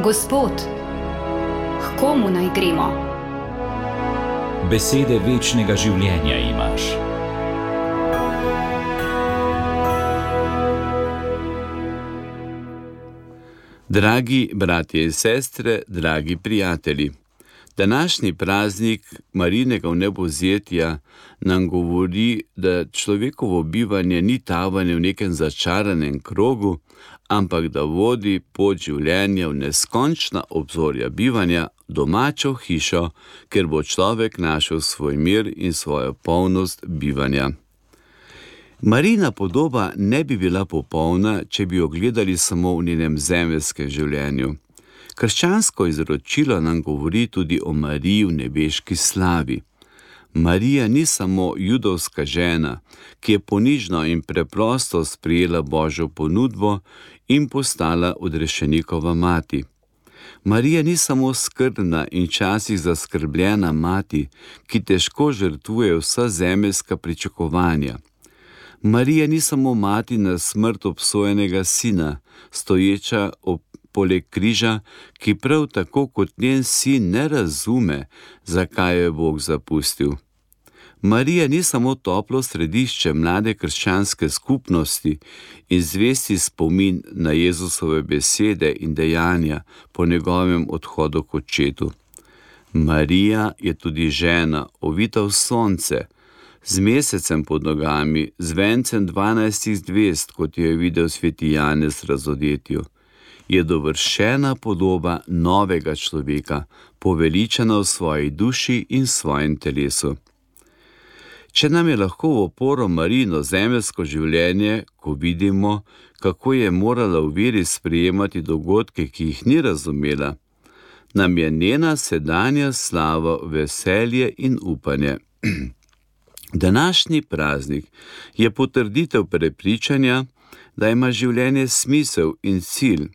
Gospod, k komu naj gremo? Besede večnega življenja imaš. Dragi bratje in sestre, dragi prijatelji, današnji praznik Marijinega vnebovzetja nam govori, da človekovo bivanje ni tavanje v nekem začaranem krogu, ampak da vodi pot življenja v neskončna obzorja bivanja, domačo hišo, kjer bo človek našel svoj mir in svojo polnost bivanja. Marijina podoba ne bi bila popolna, če bi jo gledali samo v njenem zemeljskem življenju. Krščansko izročilo nam govori tudi o Mariji v nebeški slavi. Marija ni samo judovska žena, ki je ponižno in preprosto sprejela Božjo ponudbo in postala odrešenikova mati. Marija ni samo skrbna in včasih zaskrbljena mati, ki težko žrtvuje vsa zemeljska pričakovanja. Marija ni samo mati na smrt obsojenega sina, stoječa poleg križa, ki prav tako kot njen sin ne razume, zakaj jo je Bog zapustil. Marija ni samo toplo središče mlade krščanske skupnosti in zvesti spomin na Jezusove besede in dejanja po njegovem odhodu k očetu. Marija je tudi žena, ovita v sonce, z mesecem pod nogami, z vencem 12 zvezd, kot jo je videl sveti Janez v razodetju. Je dovršena podoba novega človeka, poveličena v svoji duši in svojem telesu. Če nam je lahko v oporo Marijino zemeljsko življenje, ko vidimo, kako je morala v veri sprejemati dogodke, ki jih ni razumela, nam je njena sedanja slava veselje in upanje. Današnji praznik je potrditev prepričanja, da ima življenje smisel in cilj.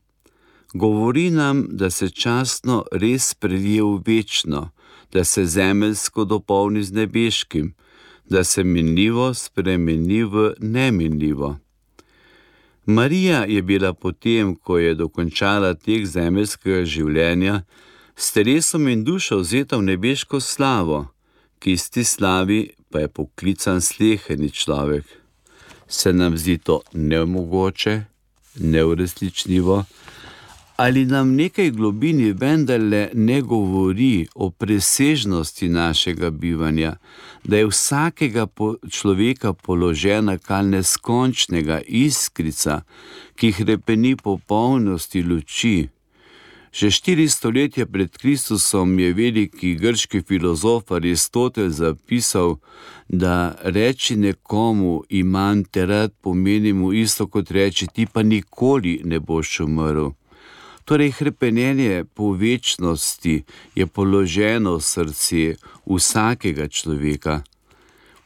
Govori nam, da se častno res prelije v večno, da se zemeljsko dopolni z nebeškim, da se minljivo spremeni v neminljivo. Marija je bila potem, ko je dokončala tek zemeljskega življenja, s telesom in dušo vzeta v nebeško slavo, ki iz te slavi pa je poklican sleherni človek. Se nam zdi to nemogoče, neuresničljivo, ali nam nekaj globini vendarle ne govori o presežnosti našega bivanja, da je vsakega človeka položena kar neskončnega iskrica, ki hrepeni po polnosti luči. Že 4 stoletja pred Kristusom je veliki grški filozof Aristotel zapisal, da reči nekomu imam te rad pomeni mu isto kot reči ti pa nikoli ne boš umrl. Torej hrepenenje po večnosti je položeno v srce vsakega človeka.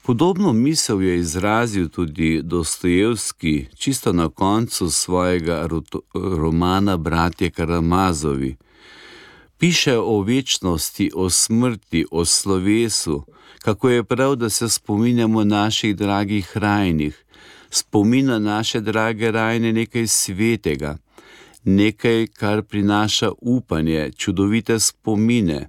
Podobno misel je izrazil tudi Dostojevski čisto na koncu svojega romana Bratje Karamazovi. Piše o večnosti, o smrti, o slovesu, kako je prav, da se spominjamo naših dragih rajnih. Spomin na naše drage rajne nekaj svetega, nekaj, kar prinaša upanje, čudovite spomine.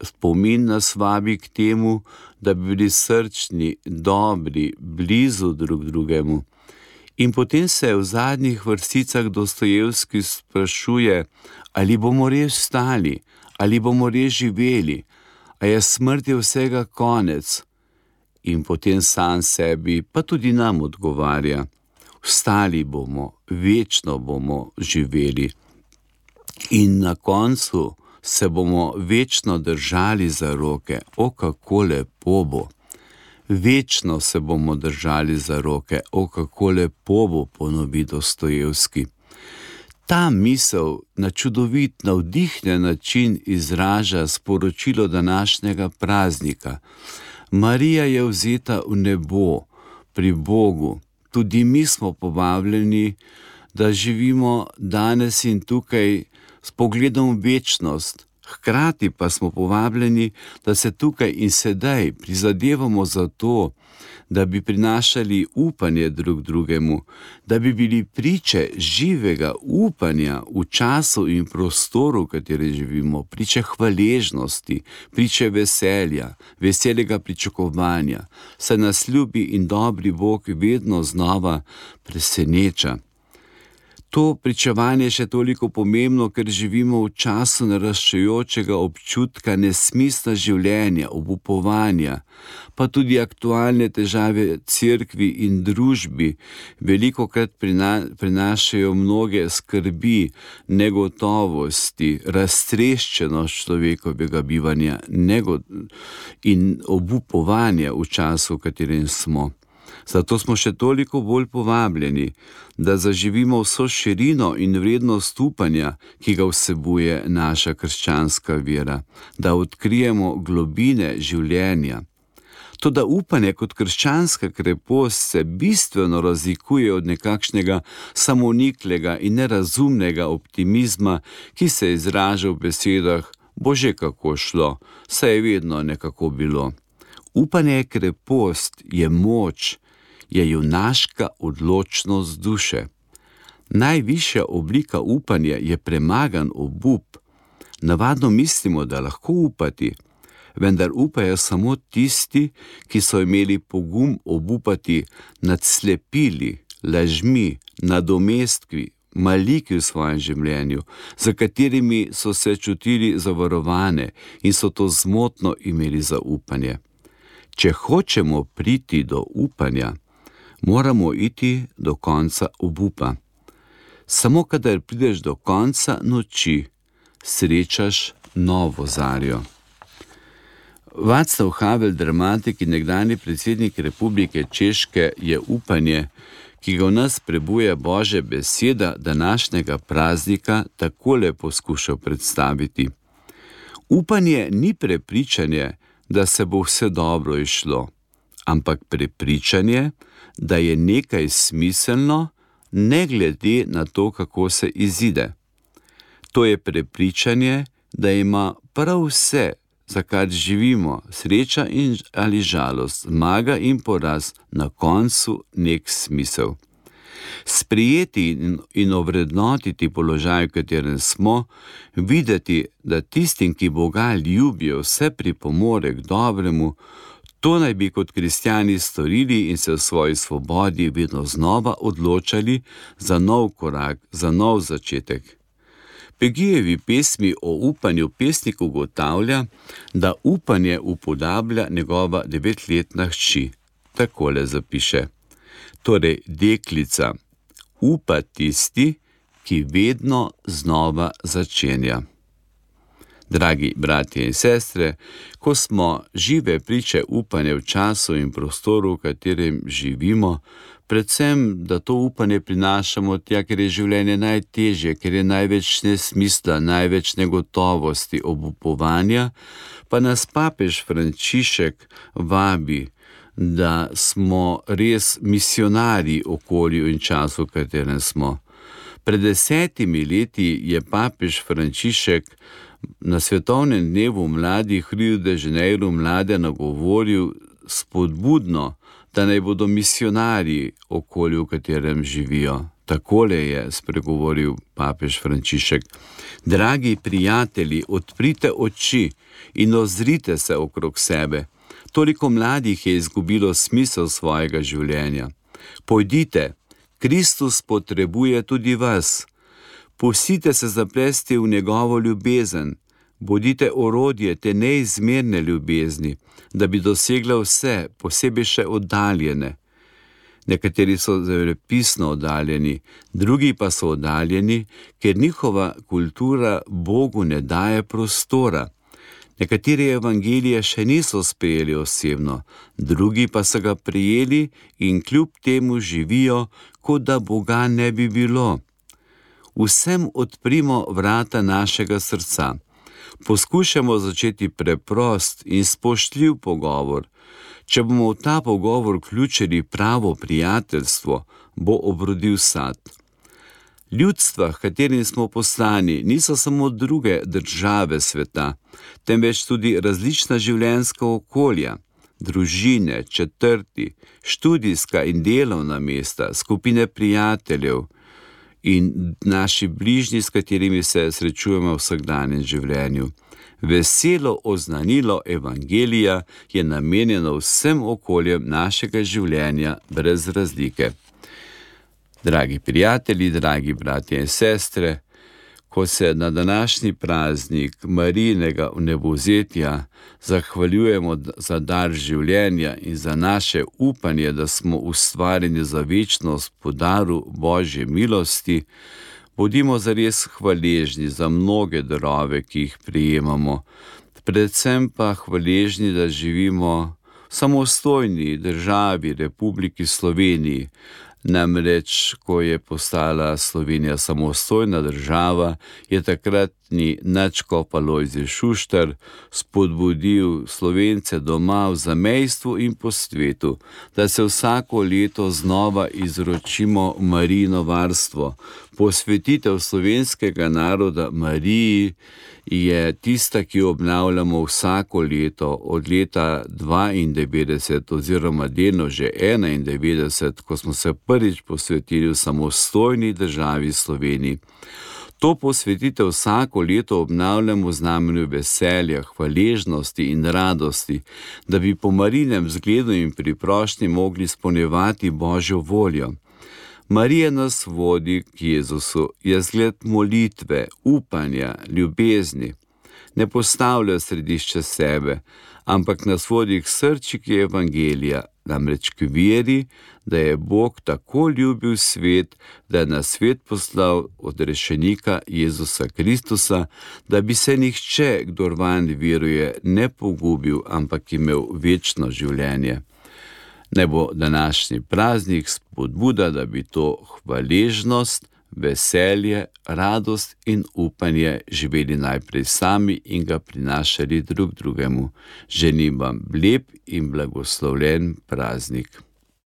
Spomin nas vabi k temu, da bi bili srčni, dobri, blizu drug drugemu. In potem se v zadnjih vrsticah Dostojevski sprašuje, ali bomo res stali, ali bomo res živeli, a je smrt je vsega konec. In potem sam sebi, pa tudi nam odgovarja, vstali bomo, večno bomo živeli. In na koncu se bomo večno držali za roke. O, kako lepo bo. Večno se bomo držali za roke. O, kako lepo bo, ponovi Dostojevski. Ta misel na čudovit, navdihnjen način izraža sporočilo današnjega praznika. Marija je vzeta v nebo, pri Bogu. Tudi mi smo povabljeni, da živimo danes in tukaj s pogledom v večnost. Hkrati pa smo povabljeni, da se tukaj in sedaj prizadevamo za to, da bi prinašali upanje drug drugemu, da bi bili priče živega upanja v času in prostoru, v katerem živimo, priče hvaležnosti, priče veselja, veselega pričakovanja, saj nas ljubi in dobri Bog vedno znova preseneča. To pričevanje je še toliko pomembno, ker živimo v času naraščajočega občutka nesmisla življenja, obupovanja, pa tudi aktualne težave cerkvi in družbi velikokrat prinašajo mnoge skrbi, negotovosti, raztreščenost človekovega bivanja in obupovanja v času, v katerem smo. Zato smo še toliko bolj povabljeni, da zaživimo vso širino in vrednost upanja, ki ga vsebuje naša krščanska vera, da odkrijemo globine življenja. Toda upanje kot krščanska krepost se bistveno razlikuje od nekakšnega samoniklega in nerazumnega optimizma, ki se izraža v besedah bo že kako šlo, saj je vedno nekako bilo. Upanje je krepost, je moč, je junaška odločnost duše. Najvišja oblika upanja je premagan obup. Navadno mislimo, da lahko upati, vendar upajo samo tisti, ki so imeli pogum obupati nad slepili, lažmi, nadomestki, maliki v svojem življenju, za katerimi so se čutili zavarovane in so to zmotno imeli za upanje. Če hočemo priti do upanja, moramo iti do konca obupa. Samo kadar prideš do konca noči, srečaš novo zarjo. Václav Havel, dramatik in nekdanji predsednik Republike Češke, je upanje, ki ga v nas prebuja Božja beseda, današnjega praznika takole poskušal predstaviti. Upanje ni prepričanje, da se bo vse dobro izšlo, ampak prepričanje, da je nekaj smiselno, ne glede na to, kako se izide. To je prepričanje, da ima prav vse, za kar živimo, sreča ali žalost, zmaga in poraz, na koncu nek smisel. Sprejeti in ovrednotiti položaj, v katerem smo, videti, da tistim, ki Boga ljubijo, vse pripomore k dobremu, to naj bi kot kristjani storili in se v svoji svobodi vedno znova odločali za nov korak, za nov začetek. Pegijevi pesmi o upanju pesnik ugotavlja, da upanje upodablja njegova 9-letna hči. Takole zapiše: torej, deklica, upa tisti, ki vedno znova začenja. Dragi bratje in sestre, ko smo žive priče upanja v času in prostoru, v katerem živimo, predvsem, da to upanje prinašamo tja, ker je življenje najtežje, ker je največ nesmisla, največ negotovosti, obupovanja, pa nas papež Frančišek vabi, da smo res misionarji okolju in času, v katerem smo. Pred 10 leti je papež Frančišek na svetovnem dnevu mladih v Rio de Janeiro mlade nagovoril spodbudno, da naj bodo misionarji okolju, v katerem živijo. Takole je spregovoril papež Frančišek: dragi prijatelji, odprite oči in ozrite se okrog sebe. Toliko mladih je izgubilo smisel svojega življenja. Pojdite, Kristus potrebuje tudi vas. Pustite se zaplesti v njegovo ljubezen. Bodite orodje te neizmerne ljubezni, da bi dosegla vse, posebej še oddaljene. Nekateri so zemljepisno oddaljeni, drugi pa so oddaljeni, ker njihova kultura Bogu ne daje prostora. Nekateri evangelije še niso sprejeli osebno, drugi pa so ga prijeli in kljub temu živijo, kot da Boga ne bi bilo. Vsem odprimo vrata našega srca. Poskušamo začeti preprost in spoštljiv pogovor. Če bomo v ta pogovor vključili pravo prijateljstvo, bo obrodil sad. Ljudstva, v katerim smo poslani, niso samo druge države sveta, temveč tudi različna življenjska okolja. družine, četrti, študijska in delovna mesta, skupine prijateljev in naši bližnji, s katerimi se srečujemo v vsakdanjem življenju. Veselo oznanilo evangelija je namenjeno vsem okoljem našega življenja brez razlike. Dragi prijatelji, dragi bratje in sestre, ko se na današnji praznik Marijinega vnebovzetja zahvaljujemo za dar življenja in za naše upanje, da smo ustvarjeni za večnost po daru Božje milosti, bodimo zares hvaležni za mnoge darove, ki jih prejemamo, predvsem pa hvaležni, da živimo v samostojni državi, Republiki Sloveniji. Namreč, ko je postala Slovenija samostojna država, je takratni nadškof Alojzij Šuštar spodbudil Slovence doma v zamejstvu in po svetu, da se vsako leto znova izročimo Marijino varstvo. Posvetitev slovenskega naroda Mariji je tista, ki jo obnavljamo vsako leto, od leta 92 oziroma delno že 91, ko smo se prvič posvetili v samostojni državi Sloveniji. To posvetitev vsako leto obnavljamo v znamenju veselja, hvaležnosti in radosti, da bi po Marijinem zgledu in priprošnji mogli izpolnjevati Božjo voljo. Marija nas vodi k Jezusu, je zgled molitve, upanja, ljubezni. Ne postavlja središče sebe, ampak nas vodi k srčiki evangelija, namreč k veri, da je Bog tako ljubil svet, da je na svet poslal odrešenika Jezusa Kristusa, da bi se nihče, kdor vanj veruje, ne pogubil, ampak imel večno življenje. Naj bo današnji praznik spodbuda, da bi to hvaležnost, veselje, radost in upanje živeli najprej sami in ga prinašali drug drugemu. Želim vam lep in blagoslovljen praznik.